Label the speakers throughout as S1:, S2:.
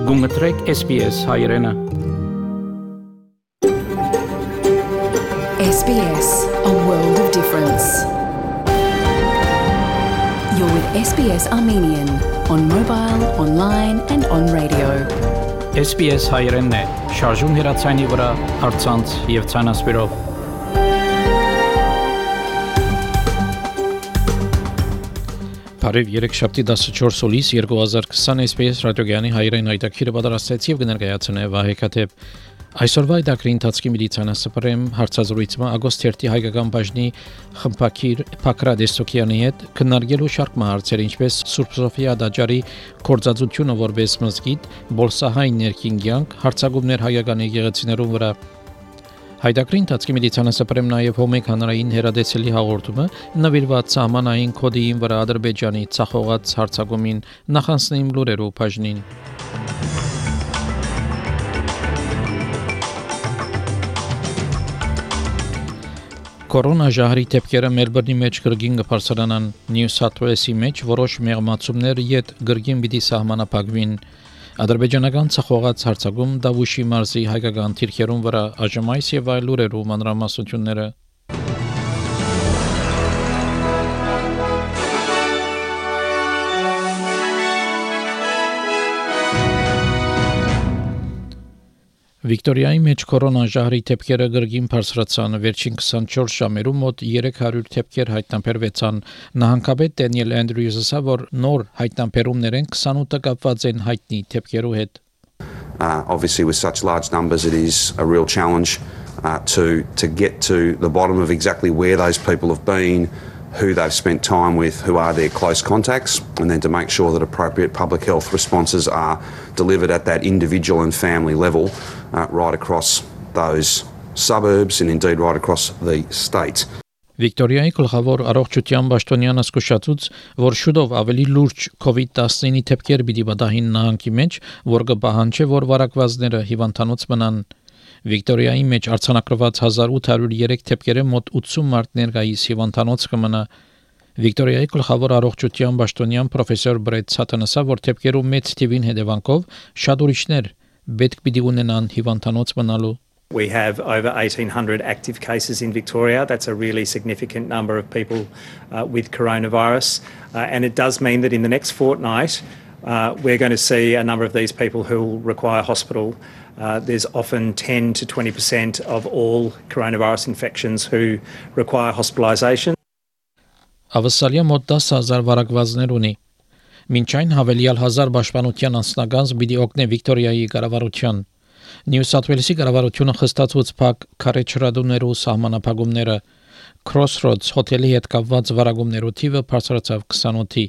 S1: Գումտրեք SBS հայրենը
S2: SBS, a world of difference. You're with SBS Armenian on mobile, online and on radio.
S1: SBS հայրենն է, շարժուն հեռացանի վրա, առցանց եւ ցանասպիրով։ Բարև երեքշաբթի 14 հուլիս 2020 SBS ռադիոգյանի հայրեն հայտակիրը պատրաստեց եւ կներկայացնե Վահե Քաթեփ։ Այսօրվա այդակրի ընթացքի միլիցիանասպրեմ հարցազրույցը Ագոստերտի հայկական բաժնի խմբակիր Փակրադ Էստոկյանի հետ քննարկելու շարք հարցեր, ինչպես Սուրբ Սոֆիա դաջարի կորձածությունը որպես մզգիթ, բոլսահայն ներքինգյանք, հարցակումներ հայկական եկեղեցիներուն վրա։ Հայդակրի ընթացքի միլիցիանասպրեմ նաև հոմեկ հանրային հերադեցելի հաղորդումը նվիրված սահմանային կոդիին վրա Ադրբեջանի ցախողած հարցակումին նախանցնիմ լուրերով բաժնին։ Կորոնա ժահրի դեպքերը Մելբուրնի մեջ գրգին կբարձրանան, Նյու Սաթ Ուելսի մեջ որոշ մեղմացումներ յետ գրգին պիտի սահմանափակվին։ Ադրբեջանական ցախողած հարցակում Դավուշի մարզի հայկական թիրքերուն վրա ԱԺՄ-ից եւ այլ լուրերու մանրամասնությունները։ Վիկտորիայի մեջ կորոնա ժահրի դեպքերը գրգին բարձրացան, վերջին 24 ժամերում մոտ 300 դեպքեր հայտնաբերվեցան։ Նահանգապետ Դենիել Անդրյուզը ասա, որ նոր հայտնաբերումներն 28-ը կապված են հայտնի դեպքերու հետ։
S3: Obviously with such large numbers it is a real challenge to get to the bottom of exactly where those people have been, who they've spent time with, who are their close contacts, and then to make sure that appropriate public health responses are delivered at that individual and family level right across those suburbs and indeed right across the state.
S1: Վիկտորիայի գլխավոր առողջության պաշտոնյանը զսկուշացուց, որ շուտով ավելի լուրջ COVID-19 դեպքեր պիտի պատահին նահանգի մեջ, որ կպահանջի, որ վարակվածները հիվանդանոց մնան։ Վիկտորիայի մեջ արձանագրված 1803 դեպքերը մոտ 80 մարդ ներկայիս հիվանդանոց կմնա։ Վիկտորիայի գլխավոր առողջության պաշտոնյան պրոֆեսոր Բրեդ Սաթանասը, որ դեպքերու մեծ թիվին հետևանքով շատ ուրիշներ պետք պիտի ունենան հիվանդանոց մնալու։
S4: We have over 1,800 active cases in Victoria. That's a really significant number of people with coronavirus. And it does mean that in the next fortnight, we're going to see a number of these people who will require hospital. There's often 10 to 20% of all coronavirus infections who require hospitalisation.
S1: Ավսալիա մոտ 10,000 վարակվածներ ունի։ Մինչ այն հավելյալ 1000 պաշտպանության անձնագանձ պիտի օգնի Վիկտորիայի կառավարության։ Նյու Սաթ Ուելսի կառավարությունը խստացուց փակ քարեչրադուներու սահմանափակումները Crossroads հոթելի հետ կապված վարակումներու թիվը բարձրացավ 28-ի։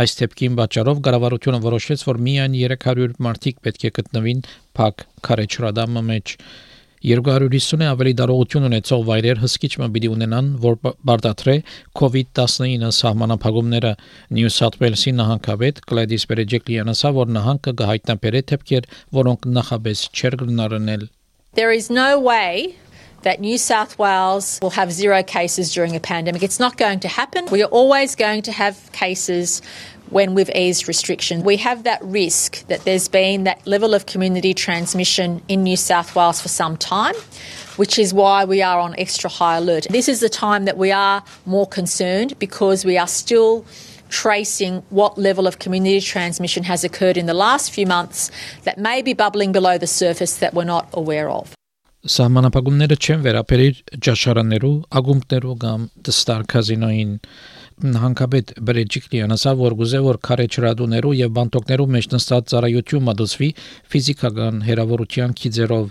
S1: Այս դեպքին պատճառով կառավարությունը որոշեց, որ միայն 300 մարդիկ պետք է գտնվին փակ քարեչրադամը մեջ։ 250-ը ավելի դարողություն ունեցող վայրեր հսկիչը պիտի ունենան, որ բարդատրե COVID-19 սահմանափակումները։ Նյու Սաթ Ուելսի նահանգապետ Գլադիս Բերեջեկլիանը ասա, որ նահանգը կհայտնաբերե դեպքեր, որոնք նախապես չէր գնահատել։
S5: There is no way that New South Wales will have 0 cases during a pandemic. It's not going to happen. We are always going to have cases when we've eased restrictions. We have that risk that there's been that level of community transmission in New South Wales for some time, which is why we are on extra high alert. This is the time that we are more concerned because we are still tracing what level of community transmission has occurred in the last few months that may be bubbling below the surface that we're not aware of.
S1: Սահմանափակումները չեն վերաբերիր ճաշարաններու, ակումբներու կամ դստար կազինոյին։ Նահանգապետ Բերեջիկլիանը ասա, որ գուզե որ քարեչրադուներու եւ բանտոկներու մեջ նստած ծառայություն մատուցվի ֆիզիկական հերավորության քիզերով։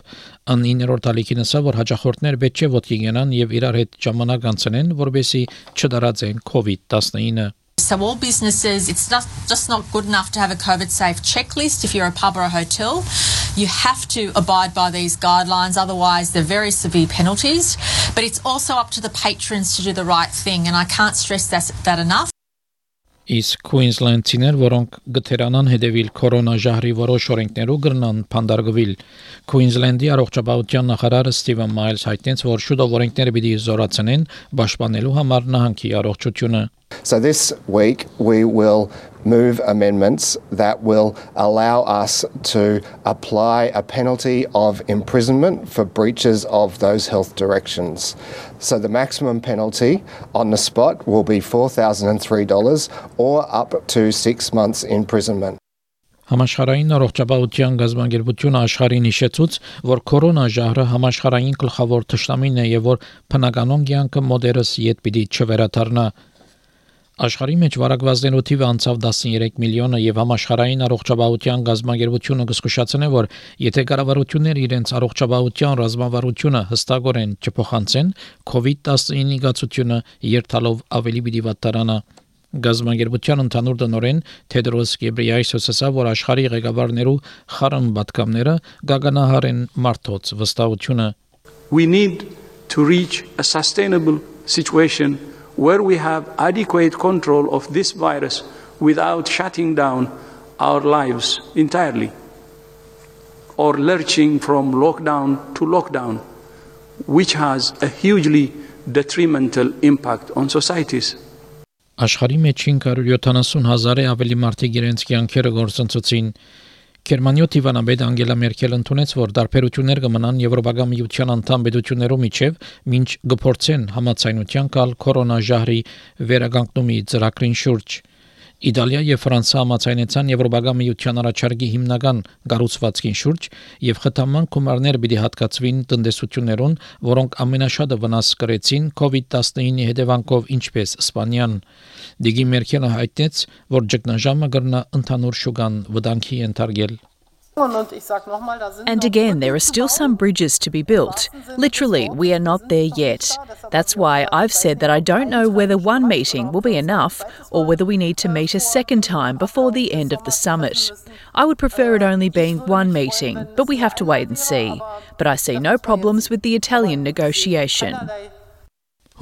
S1: Ան 9-րդ ալիքին ասա, որ հաջախորդներ պետք է ոտքի գնան եւ իրար հետ ժամանակ անցնեն, որովհետեւ չդարածեն COVID-19-ը։
S5: So all businesses, it's just not good enough to have a COVID-safe checklist if you're a pub or a hotel. You have to abide by these guidelines, otherwise they're very severe penalties. But it's also up to the patrons to do the right thing, and I can't stress that enough.
S1: Իսկ Queensland-ցիներ, որոնք գտերանան հետևիլ կորոնա ժահրի որոշ օրենքներու գրնան փանդարգվել։ Queensland-ի առողջապահության նախարարը Ստիվեն Մայլս հայտնեց, որ շուտով օրենքները պիտի զորացնեն պաշտպանելու համար նահանգի առողջությունը։
S6: So this week we will move amendments that will allow us to apply a penalty of imprisonment for breaches of those health directions. So the maximum penalty on the spot will be $4,003 or up to 6 months imprisonment.
S1: Համաշխարհային առողջապահության գազագերբությունը աշխարհին հիշեցուց, որ կորոնաժահրը համաշխարհային գլխավոր թշնամին է եւ որ բնականon կյանքը մոդերս յետ պիտի չվերադառնա։ Աշխարհի մեջ վարակվածներու թիվը անցավ 13 միլիոնը եւ համաշխարհային առողջապահության գազագերբությունը կզգուշացնե, որ եթե կառավարությունները իրենց առողջապահության ռազմավարությունը հստակորեն չփոխանցեն, COVID-19 գացությունը երթալով ավելի պիտի վատարանա։ Գազագերբության ընդհանուր տնօրեն Թեդրոս Գեբրիայեսուսը ասավ, որ աշխարհի ղեկավարներու խառն պատկամները գագանահարեն մարդոց վստահությունը.
S7: We need to reach a sustainable situation where we have adequate control of this virus without shutting down our lives entirely or lurching from lockdown to lockdown, which has a hugely detrimental impact on societies.
S1: Աշխարհի մեջ 570,000-ը ավելի մարդիկ իրենց կյանքերը գործընծեցին։ Գերմանիա Տիվանաբեդ Անգելա Մերկելը ընդունեց, որ դարբերություններ կմնան Եվրոպական միության անդամ պետություններու միջև, մինչ կփորձեն համաձայնության գալ կորոնաժահրի վերականգնումի ծրագրին շուրջ։ Իտալիա եւ Ֆրանսիա համաձայնեցան Եվրոպական միության առաջարկի հիմնական կառուցվածքին շուրջ եւ խթանման գումարներ պիտի հատկացվին տնտեսություններուն, որոնք ամենաշատը վնաս կրեցին COVID-19-ի հետևանքով, ինչպես Իսպանիան։ Դիգի Մերկելը հայտնեց, որ ճգնաժամը կգրնա ընդհանուր շուկան վտանգի ենթարկել։
S8: And again, there are still some bridges to be built. Literally, we are not there yet. That's why I've said that I don't know whether one meeting will be enough or whether we need to meet a second time before the end of the summit. I would prefer it only being one meeting, but we have to wait and see. But I see no problems with the Italian negotiation.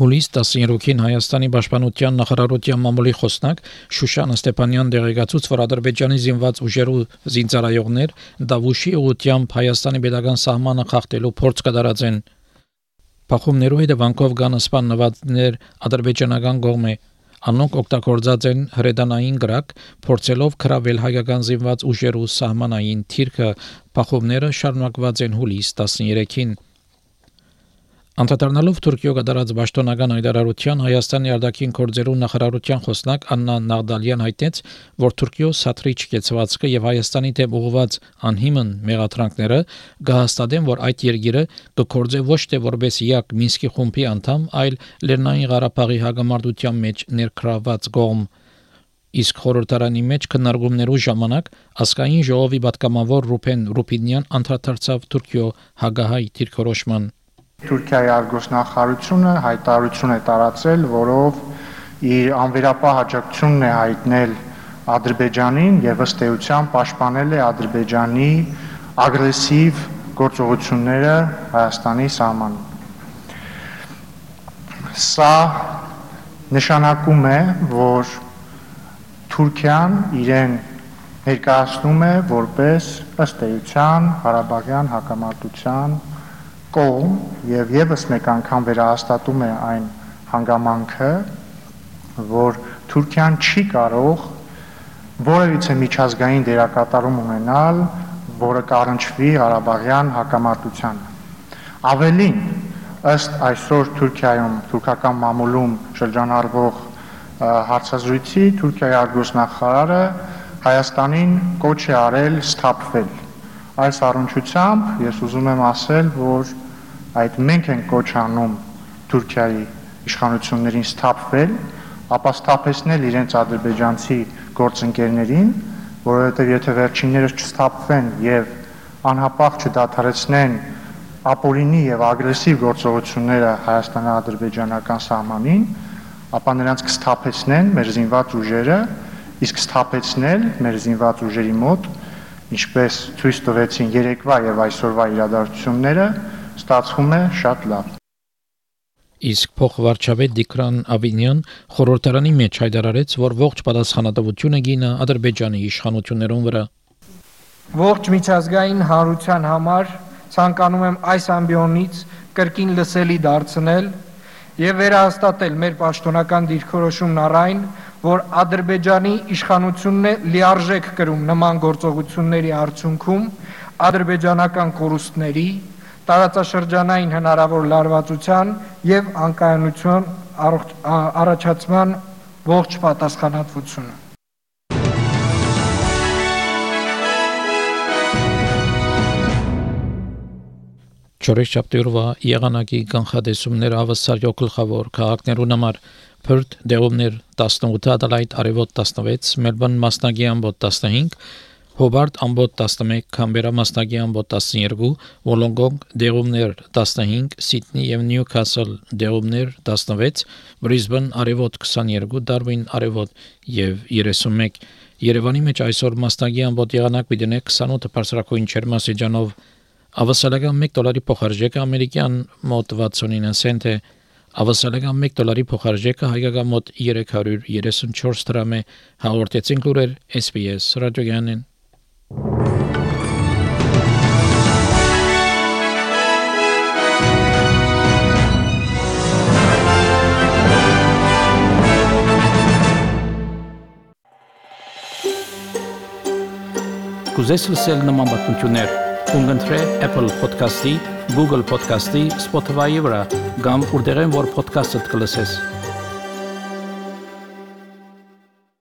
S1: Հուլիս 13-ին Հայաստանի պաշտպանության նախարարության մամուլի խոսնակ Շուշան Ստեփանյան դեղեկացուց, որ Ադրբեջանի զինված ուժերու զինծառայողներ Դավուշի ուղությամբ Հայաստանի պետական սահմանը խախտելու փորձ կդարածեն։ Փախումներու հետևանքով կան սպանվածներ ադրբեջանական կողմէ։ Անոնք օգտագործած են հրետանային գրակ, փորձելով քրավել հայկական զինված ուժերու սահմանային թիրքը։ Փախումները շարունակված են հուլիս 13-ին։ Անդրադառնալով Թուրքիո կատարած պաշտոնական հայտարարության Հայաստանի արտաքին գործերու նախարարության խոսնակ Աննա Նաղդալյան հայտնեց, որ Թուրքիո սաթրիչ կեցվածքը եւ Հայաստանի դեմ ուղղված անհիմն մեղադրանքները կհաստատեն, որ այդ երկիրը կգործե ոչ թե որպես յակ Մինսկի խումբի անդամ, այլ Լեռնային Ղարաբաղի հագամարտության մեջ ներգրավված կողմ։ Իսկ խորհրդարանի մեջ քննարկումներու ժամանակ ազգային ժողովի պատգամավոր Ռուփեն Ռուփինյան անդրադարձավ Թուրքիո հագահայ դիրքորոշման։
S9: Թուրքիայի արտգործնախարարությունը հայտարարություն է տարածել, որով իր անվերապահ աջակցությունն է հայտնել Ադրբեջանին եւ ըստ էության պաշտպանել է Ադրբեջանի ագրեսիվ գործողությունները Հայաստանի սահմանին։ Սա նշանակում է, որ Թուրքիան իրեն ներկայացնում է որպես ըստ էության Ղարաբաղյան հակամարտության կողմ եւ եւս մեկ անգամ վերահաստատում է այն հանգամանքը, որ Թուրքիան չի կարող որևիցե միջազգային դերակատարում ունենալ, որը կառնչվի Ղարաբաղյան հակամարտությանը։ Ավելին, ըստ այսօր Թուրքիայում թուրքական մամուլում շրջանառվող հարցազրույցի, Թուրքիայի արտգործնախարարը Հայաստանին կոչ է արել սթափվել։ Այս առնչությամբ ես ուզում եմ ասել, որ այդ մենք ենք կոչ անում Թուրքիայի իշխանություններին սթափվել, ապա սթափեցնել իրենց ադրբեջանցի գործընկերներին, որովհետև եթե վերջիններս չսթափվեն եւ անհապաղ չդադարեցնեն ապօրինի եւ ագրեսիվ գործողությունները Հայաստան-ադրբեջանական սահմանին, ապա նրանց կսթափեցնեն մեր զինված ուժերը, իսկ սթափեցնել մեր զինված ուժերի մոտ, ինչպես ցույց տվեցին երեկվա եւ այսօրվա իրադարձությունները, ստացվում է շատ լավ։
S1: Իսկ փոխվարչապետ Դիկրան Ավինյան խորհրդարանի մեջ հայտարարեց, որ ողջ պատասխանատվությունը գինը Ադրբեջանի իշխանություններուն վրա։
S10: Ողջ միջազգային հանրության համար ցանկանում եմ այս ամբիոնից կրկին լսելի դարձնել եւ վերահաստատել մեր պաշտոնական դիրքորոշումն առ այն, որ Ադրբեջանի իշխանությունն է լիարժեք կրում նման գործողությունների արդյունքում ադրբեջանական կորուստների, տարածաշրջանային հնարավոր լարվածության եւ անկայունության առաջացման ողջ պատասխանատվությունը։
S1: Չորեքշաբթի եղանակի կանխատեսումները հավասարյո գլխավոր քաղաքներուն համար Perth դեղումներ 18 Adelaide արևոտ 16 Melbourne մասնագի ամբոտ 15 Hobart ամբոտ 11 Canberra մասնագի ամբոտ 12 Wollongong դեղումներ 15 Sydney եւ Newcastle դեղումներ 16 Brisbane արևոտ 22 Darwin արևոտ եւ 31 Երևանի մեջ այսօր մասնագի ամբոտ եղանակ պիտի 28 բարձրակույն ջերմաստիճանով Ավասալական $1 փոխարժեքը ամերիկյան մոտ 69 سنت է, ավասալական $1 փոխարժեքը հայկական մոտ 334 դրամ է, հաղորդեցին լուրեր SBS ռադիոգյանին։
S11: Կուզես լսել նման բանություններ Ունգընտրե Apple Podcast-ի, Google Podcast-ի, Spotify-ի վրա, կամ որտեղեն որ podcast-ըդ կլսես։